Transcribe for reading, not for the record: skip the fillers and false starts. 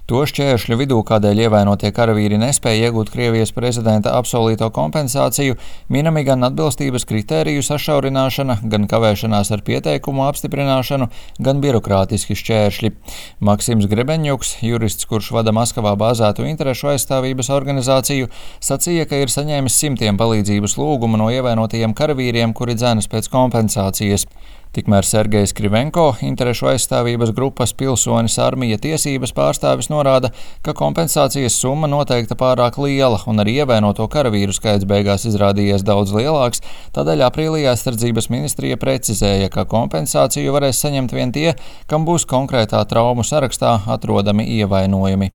To šķēršļu vidū, kādēļ ievainotie karavīri nespēja iegūt Krievijas prezidenta apsolīto kompensāciju, minami gan atbilstības kritēriju sašaurināšana, gan kavēšanās ar pieteikumu apstiprināšanu, gan birokrātiski šķēršļi. Maksims Grebeņjuks, jurists, kurš vada Maskavā bāzētu interešu aizstāvības organizāciju, sacīja, ka ir saņēmis simtiem palīdzības lūgumu no ievainotajiem karavīriem, kuri dzenas pēc kompensācijas. Tikmēr Sergejs Krivenko, interešu aizstāvības grupas Pilsonis armija tiesības pārstāvis, norāda, ka kompensācijas summa noteikta pārāk liela un arī ievainoto karavīru skaits beigās izrādījies daudz lielāks, tādēļ aprīlī aizsardzības ministrija precizēja, ka kompensāciju varēs saņemt vien tie, kam būs konkrētā traumu sarakstā atrodami ievainojumi.